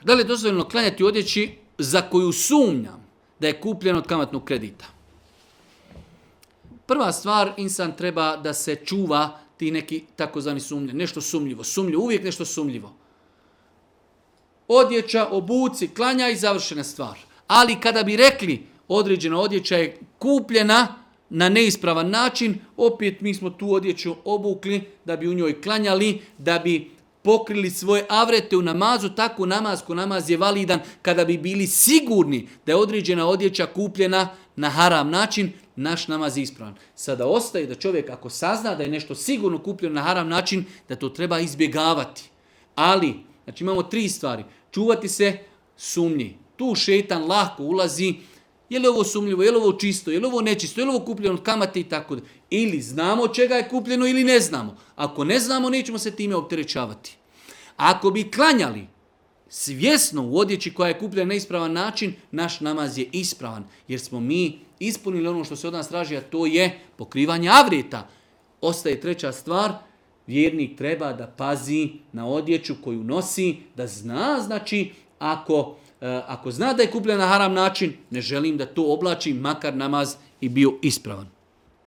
Da li je dozvoljeno klanjati u odjeći za koju sumnjam da je kupljeno od kamatnog kredita? Prva stvar, insan treba da se čuva ti neki takozvani sumnje, nešto sumnjivo. Sumnjivo, uvijek nešto sumnjivo. Odjeća, obuci, klanja i završena stvar. Ali kada bi rekli određena odjeća je kupljena na neispravan način, opet mi smo tu odjeću obukli da bi u njoj klanjali, da bi pokrili svoje avrete u namazu, tako namaz je validan kada bi bili sigurni da je određena odjeća kupljena na haram način, naš namaz je ispravan. Sada ostaje da čovjek ako sazna da je nešto sigurno kupljeno na haram način, da to treba izbjegavati. Ali, znači imamo 3 stvari. Čuvati se sumnji. Tu šejtan lako ulazi, je li ovo sumnjivo, je li ovo čisto, je li ovo nečisto, je li ovo kupljeno od kamate i tako da. Ili znamo čega je kupljeno ili ne znamo. Ako ne znamo, nećemo se time opterećavati. Ako bi klanjali svjesno u odjeći koja je kupljena na ispravan način, naš namaz je ispravan. Jer smo mi ispunili ono što se od nas traži, a to je pokrivanje avreta. Ostaje 3. stvar, vjernik treba da pazi na odjeću koju nosi, da zna, znači, ako zna da je kupljena na haram način, ne želim da to oblačim, makar namaz i bio ispravan.